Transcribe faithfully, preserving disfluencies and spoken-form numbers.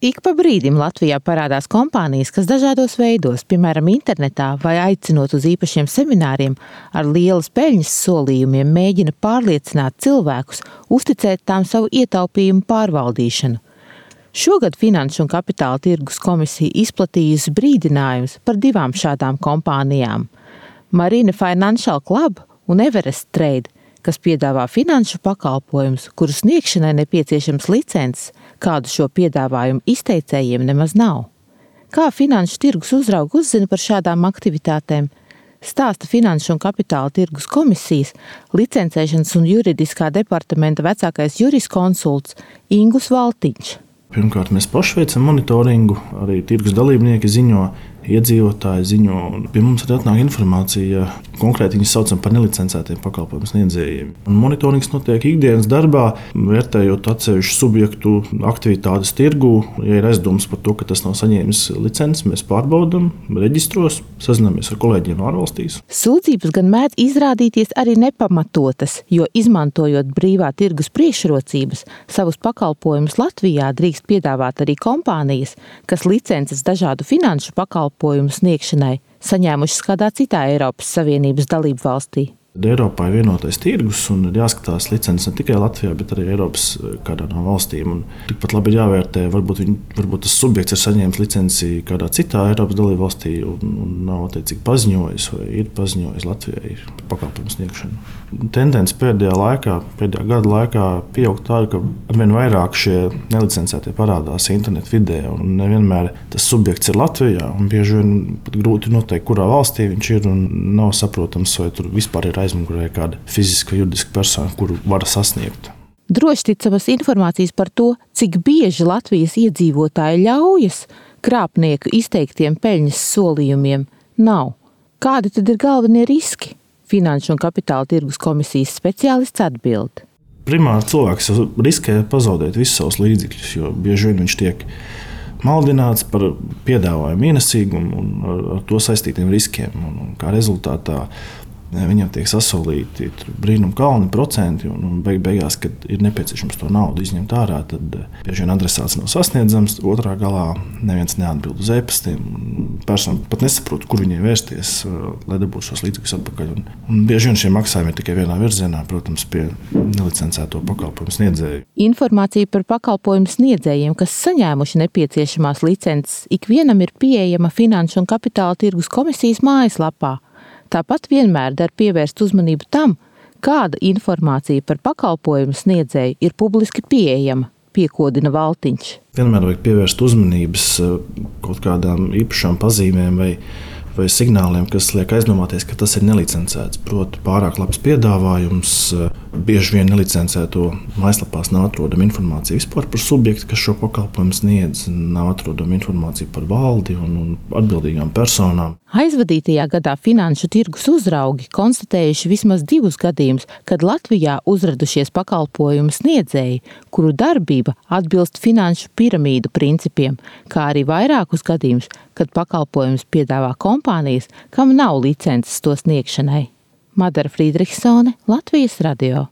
Ik pa brīdim Latvijā parādās kompānijas, kas dažādos veidos, piemēram, internetā vai aicinot uz īpašiem semināriem, ar lielas peļņas solījumiem mēģina pārliecināt cilvēkus, uzticēt tām savu ietaupījumu pārvaldīšanu. Šogad Finanšu un Kapitāla tirgus komisija izplatījusi brīdinājumus par divām šādām kompānijām – Marine Financial Club un Everest Trade, kas piedāvā finanšu pakalpojumus, kuru sniegšanai nepieciešams licences, kādu šo piedāvājumu izteicējiem nemaz nav. Kā finanšu tirgus uzraugi uzzina par šādām aktivitātēm? Stāsta Finanšu un Kapitāla tirgus komisijas licencēšanas un juridiskā departamenta vecākais juriskonsults Ingus Valtiņš. Pirmkārt, mēs paši veicam monitoringu, arī tirgus dalībnieki ziņo, iedzīvotāji ziņo. Pie mums arī atnāk informācija, konkrēti viņus saucam par nelicencētiem pakalpojumu sniedzējiem. Un monitorings notiek ikdienas darbā, vērtējot atsevišķu subjektu aktivitātes tirgū. Ja ir aizdomas par to, ka tas nav saņēmis licenci, mēs pārbaudam reģistros, sazināmies ar kolēģiem ārvalstīs. Sūdzības gan mēdz izrādīties arī nepamatotas, jo izmantojot brīvā tirgus priekšrocības, savus pakalpojumus Latvijā drīkst piedāvāt arī kompānijas, kas licences dažādu finanšu pakalpojumu sniegšanai saņēmušas kādā citā Eiropas Savienības dalību valstī. Eiropā ir vienotais tirgus un ir jāskatās licences ne tikai Latvijā, bet arī Eiropas kādā no valstīm. Un tikpat labi ir jāvērtē, varbūt, viņ, varbūt tas subjekts ir saņēmis licenci kādā citā Eiropas dalību valstī un, un nav attiecīgi paziņojis vai ir paziņojis Latvijai par pakalpojumu sniegšanu. Tendence pēdējā laikā, pēdējā gada laikā pieaug tāda, ka arvien vairāk šie nelicencētie parādās internetu vidē un nevienmēr tas subjekts ir Latvijā un bieži vien pat grūti noteikt, kurā valstī viņš ir un nav saprotams, vai tur vispār ir aizmugurē kāda fiziska, juridiska persona, kuru var sasniegt. Drošticamas informācijas par to, cik bieži Latvijas iedzīvotāji ļaujas krāpnieku izteiktiem peļņas solījumiem, nav. Kādi tad ir galvenie riski? Finanšu un Kapitāla tirgus komisijas speciālists atbild. Primāri cilvēks riskē pazaudēt visus savus līdzekļus, jo bieži vien viņš tiek maldināts par piedāvājumu ienesīgumu un ar, ar to saistītiem riskiem. Un, un kā rezultātā viņam tiek sasolīti brīnum kalni procenti un, un beig, beigās, kad ir nepieciešams to naudu izņemt ārā, tad bieži vien adresāts nav sasniedzams, otrā galā neviens neatbild uz e-pastiem. Persona pat nesaprot, kur viņai vērsties, lai dabūtu šos līdzekļus atpakaļ. Un, un bieži vien šie maksājumi ir tikai vienā virzienā, protams, pie nelicencēto pakalpojumu sniedzēju. Informācija par pakalpojumu sniedzējiem, kas saņēmuši nepieciešamās licences, ikvienam ir pieejama Finanšu un Kapitāla tirgus komisijas mājaslapā. Tāpat vienmēr der pievērst uzmanību tam, kāda informācija par pakalpojumu sniedzēju ir publiski pieejama, piekodina Valtiņš. Vienmēr vajag pievērst uzmanības kaut kādām īpašām pazīmēm vai, vai signāliem, kas liek aizdomāties, ka tas ir nelicencēts. Proti, pārāk labs piedāvājums, bieži vien nelicencēto mājaslapās nav atrodama informācija vispār par subjektu, kas šo pakalpojumu sniedz, nav atrodama informācija par valdi un, un atbildīgām personām. Aizvadītajā gadā finanšu tirgus uzraugi konstatējuši vismaz divus gadījumus, kad Latvijā uzradušies pakalpojumu sniedzēji, kuru darbība atbilst finanšu piramīdu principiem, kā arī vairākus gadījumus, kad pakalpojumus piedāvā kompānijas, kam nav licences to sniegšanai. Madara Frīdrihsone, Latvijas radio.